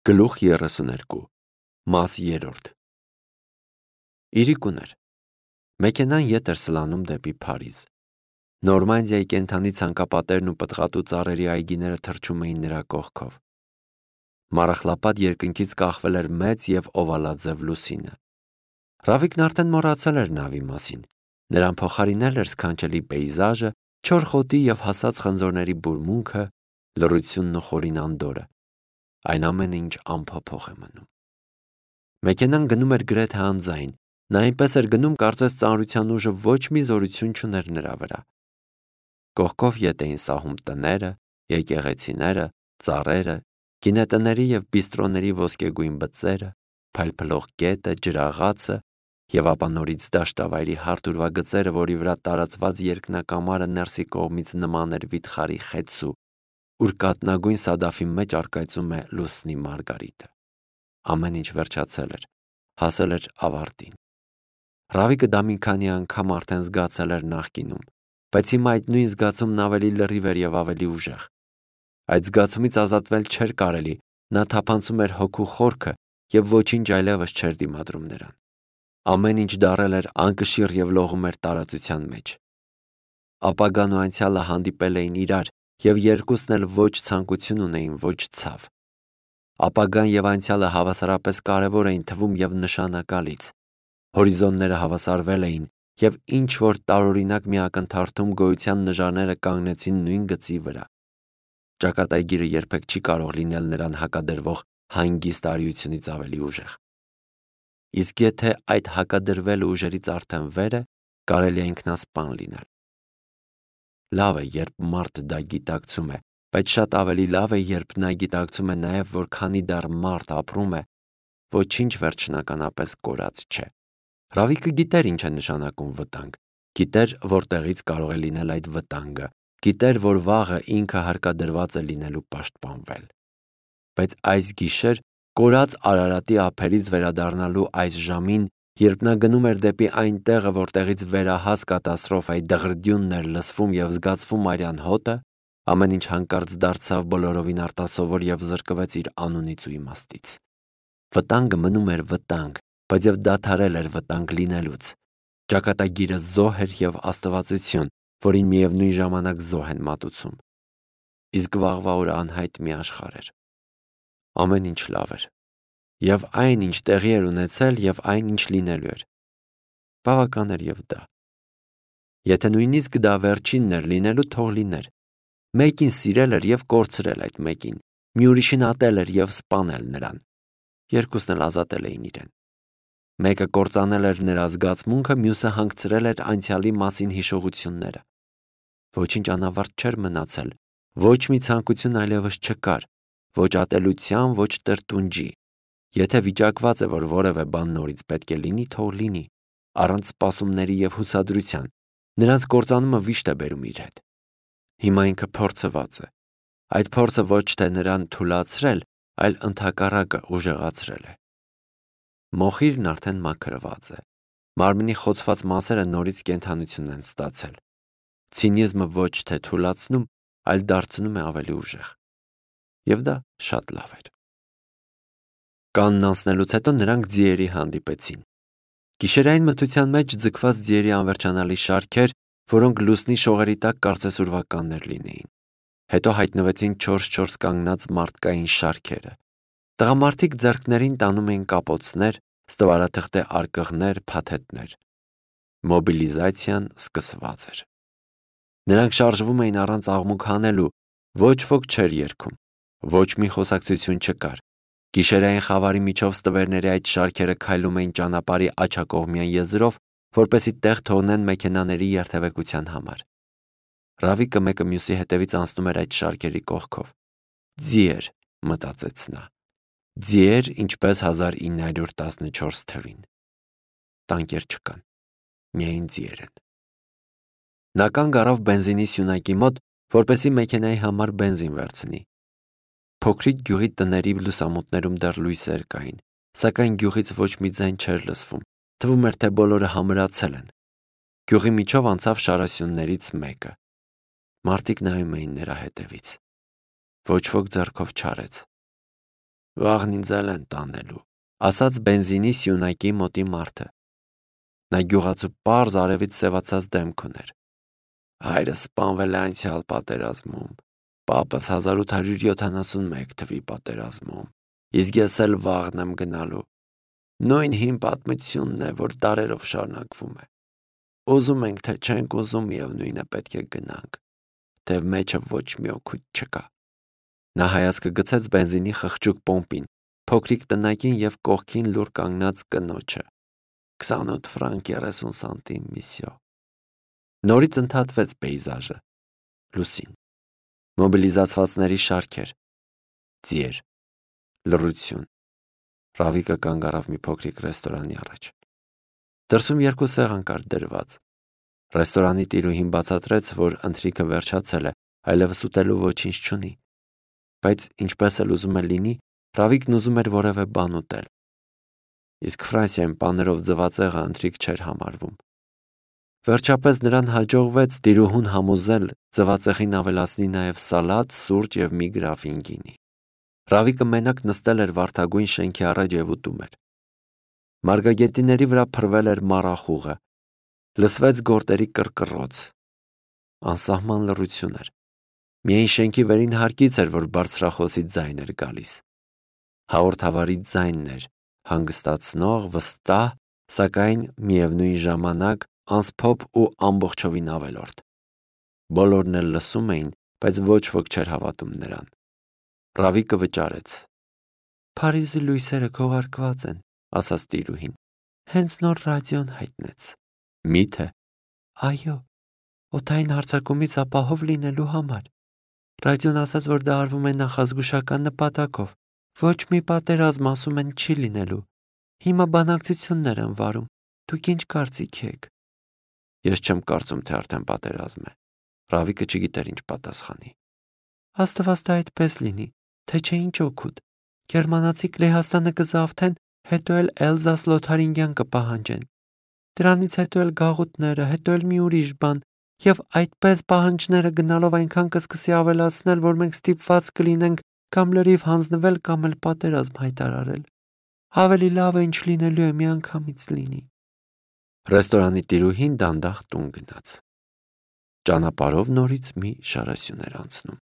Գլուխ 32 Մաս 3 Իրիկուն էր։ Մեքենան ետ էր սլանում դեպի Փարիզ։ Նորմանդիայի կենդանի ցանկապատերն ու պտղատու ծառերի այգիները թռչում էին նրա կողքով։ Մառախլապատ երկնքից կախվել էր մեծ և օվալաձև լուսինը։ Ռավիկն արդեն մոռացել էր նավի մասին։ Նրան փոխարինել էր սքանչելի պեյզաժը, չոր խոտի և հասած խնձորների բուրմունքը, լռությունն ու խորին անդորրը։ Այն ամենը, ինչ անփոփոխ է մնում։ Մեքենան գնում էր գրեթե անձայն, նա այնպես էր գնում, կարծես ծանրության ուժը ոչ մի զորություն չուներ նրա վրա։ Կողքով ետ էին սահում տները, եկեղեցիները, ծառերը, գինետների և բիստրոների ոսկեգույն բծերը, փայլփլող կետը, ջրաղացը և ապա նորից դաշտավայրի հարթ ուրվագծերը, որի վրա տարածված երկնակամարը ներսի կողմից նման էր վիթխարի խեցու, ուր կաթնագույն սադաֆի մեջ առկայծում է լուսնի մարգարիտը։ Ամեն ինչ վերջացել էր, հասել էր ավարտին։ Ռավիկը դա մի քանի անգամ արդեն զգացել էր նախկինում, բայց հիմա այդ նույն զգացումն ավելի լրիվ էր և ավելի ուժեղ։ Այդ զգացումից ազատվել չէր կարելի, նա թափանցում էր հոգու խորքը և ոչինչ այլևս չէր դիմադրում նրան։ Ամեն ինչ դառել էր անկշիռ և լողում էր տարածության մեջ։ Ապագան ու անցյալը հանդիպել էին իրար և երկուսն էլ ոչ ցանկություն ունեին, ոչ ցավ։ Ապագան և անցյալը հավասարապես կարևոր էին թվում և նշանակալից։ Հորիզոնները հավասարվել էին և ինչ-որ տարօրինակ մի ակնթարթում գոյության նժարները կանգնեցին նույն գծի վրա։ Ճակատագիրը երբեք չի կարող լինել նրան հակադրվող հանգիստ արիությունից ավելի ուժեղ։ Իսկ եթե այդ հակադրվելը ուժերից արդեն վեր է, կարելի է ինքնասպան լինել։ Լավ է, երբ մարդը դա գիտակցում է, բայց շատ ավելի լավ է, երբ նա գիտակցում է նաև, որ քանի դեռ մարդ ապրում է, ոչինչ վերջնականապես կորած չէ։ Ռավիկը գիտեր ինչ է նշանակում վտանգ, գիտեր որտեղից կարող է լինել այդ վտանգը, գիտեր, որ վաղը ինքը հարկադրված է լինելու պաշտպանվել։ Բայց այս գիշեր կորած Արարատի ափերից վերադառնալու այս ժամին, երբ նա գնում էր դեպի այն տեղը, որտեղից վերահաս կատաստրոֆայի դղրդյունն էր լսվում և զգացվում արյան հոտը, ամեն ինչ հանկարծ դարձավ բոլորովին արտասովոր և զրկվեց իր անունից ու իմաստից։ Վտանգը մնում էր վտանգ, բայց և դադարել էր վտանգ լինելուց։ Ճակատագիրը զոհ էր և աստվածություն, որին միևնույն ժամանակ զոհ են մատուցում։ Իսկ վաղվա օրը անհայտ մի աշխարհ էր։ Ամեն ինչ լավ էր։ Եվ այն, ինչ տեղի էր ունեցել, և այն, ինչ լինելու էր։ Բավական էր և դա։ Եթե նույնիսկ դա վերջինն էր լինելու, թող լիներ։ Մեկին սիրել էր և կորցրել այդ մեկին, մի ուրիշին ատել էր և սպանել նրան։ Երկուսն էլ ազատել էին իրեն։ Մեկը կործանել էր նրա զգացմունքը, մյուսը հանգցրել էր անցյալի մասին հիշողությունները։ Ոչինչ անավարտ չէր մնացել, ոչ մի ցանկություն այլևս չկար, ոչ ատելության, ոչ տրտունջի։ Եթե վիճակված է, որ որևէ բան նորից պետք է լինի, թող լինի, առանց սպասումների և հուսադրության։ Նրանց կործանումը վիշտ է բերում իր հետ։ Հիմա ինքը փորձված է։ Այդ փորձը ոչ թե նրան թուլացրել, այլ ընդհակառակը ուժեղացրել է։ Մոխիրն արդեն մաքրված է։ Մարմնի խոցված մասերը նորից կենդանություն են ստացել։ Ցինիզմը ոչ թե թուլացնում, այլ դարձնում է ավելի ուժեղ։ Եվ դա շատ լավ էր։ Կանն անցնելուց հետո նրանք ձիերի հանդիպեցին։ Գիշերային մթության մեջ ձգված ձիերի անվերջանալի շարքեր, որոնք լուսնի շողերի տակ կարծես ուրվականներ լինեին։ Հետո հայտնվեցին 4-4 կանգնած մարդկային շարքերը։ Տղամարդիկ ձեռքներին տանում էին կապոցներ, ստվարաթղթե արկղներ, փաթեթներ։ Մոբիլիզացիան սկսված էր։ Նրանք շարժվում էին առանց աղմուկ հանելու, ոչ ոք չէր երգում, ոչ մի խոսակցություն չկար։ Գիշերային խավարի միջով ստվերների այդ շարքերը քայլում էին ճանապարհի աջակողմյան եզրով, որպեսզի տեղ թողնեն մեքենաների երթևեկության համար։ Ռավիկը մեկը մյուսի հետևից անցնում էր այդ շարքերի կողքով։ Ձիեր, մտածեց նա։ Ձիեր, ինչպես 1914 թվին։ Տանկեր չկան, միայն ձիեր են։ Նա կանգ առավ բենզինի սյունակի մոտ, որպեսզի մեքենայի համար բենզին վերցնի։ Փոքրիկ գյուղի տների լուսամուտներում դեռ լույսեր կային, սակայն գյուղից ոչ մի ձայն չէր լսվում, թվում էր, թե բոլորը համրացել են։ Գյուղի միջով անցավ շարասյուններից մեկը։ Մարդիկ նայում էին նրա հետևից։ Ոչ ոք ձեռքով չարեց։ Վաղն ինձ էլ են տանելու, ասաց բենզինի սյունակի մոտի մարդը։ Նա գյուղացու պարզ արևից սևացած դեմք ուներ։ Հայրս սպանվել է անցյալ պատերազմում, պապս 1871 թվի պատերազմում, իսկ ես էլ վաղն եմ գնալու։ Նույն հին պատմությունն է, որ դարերով շարունակվում է։ Ուզում ենք, թե չենք ուզում, միևնույն է, պետք է գնանք, թեև մեջը ոչ մի օգուտ չկա։ Նա հայացքը գցեց բենզինի խղճուկ պոմպին, փոքրիկ տնակին և կողքին լուռ կանգնած կնոջը։ 28 ֆրանկ 30 սանտիմ, միսյո։ Նորից ընդհատվեց պեյզաժը։ Լուսին, մոբիլիզացվածների շարքեր, ձիեր, լռություն։ Ռավիկը կանգ առավ մի փոքրիկ ռեստորանի առաջ։ Դրսում 2 սեղան կար դրված։ Ռեստորանի տիրուհին բացատրեց, որ ընթրիքը վերջացել է, այլևս ուտելու ոչինչ չունի։ Բայց ինչպես էլ ուզում է լինի, Ռավիկն ուզում էր որևէ բան ուտել։ Իսկ Ֆրանսիայում պաներով ձվածեղը ընթրիք չէր համարվում։ Վերջապես նրան հաջողվեց տիրուհուն համոզել ձվածեղին ավելացնի նաև սալատ, սուրճ և մի գրաֆին գինի։ Ռավիկը մենակ նստել էր վարդագույն շենքի առաջ և ուտում էր։ Մարգագետինների վրա փռվել էր մառախուղը, լսվեց գորտերի կռկռոց։ Անսահման լռություն էր։ Միայն շենքի վերին հարկից էր, որ բարձրախոսի ձայն էր գալիս։ Հաղորդավարի ձայնն էր, հանգստացնող, վստահ, սակայն միևնույն ժամանակ անսփոփ ու ամբողջովին ավելորդ։ Բոլորն էլ լսում էին, բայց ոչ ոք չէր հավատում նրան։ Ռավիկը վճարեց։ «Փարիզի լույսերը քողարկված են», ասաց տիրուհին։ «Հենց նոր ռադիոն հայտնեց»։ Մի՞թե։ «Այո, օդային հարձակումից ապահով լինելու համար։ Ռադիոն ասաց, որ դա արվում է նախազգուշական նպատակով։ Ոչ մի պատերազմ, ասում են, չի լինելու։ Հիմա բանակցություններ են վարում։ Դուք ինչ կարծիք եք»։ Ես չեմ կարծում, թե արդեն պատերազմ է։ Ռավիկը չգիտեր ինչ պատասխանի։ «Աստված դա այդպես լինի, թե չէ ինչ օգուտ։ Գերմանացիք Լեհաստանը կզավթեն, հետո էլ Էլզաս-Լոթարինգյան կպահանջեն։ Դրանից հետո էլ գաղութները, հետո էլ մի ուրիշ բան, և այդպես պահանջները գնալով այնքան կսկսի ավելացնել, որ մենք ստիպված կլինենք կամ լրիվ հանձնվել, կամ էլ պատերազմ հայտարարել։ Ավելի լավը ինչ լինելու է, միանգամից լինի»։ Ռեստորանի տիրուհին դանդաղ տուն գնաց։ Ճանապարհով նորից մի շարասյուն էր անցնում։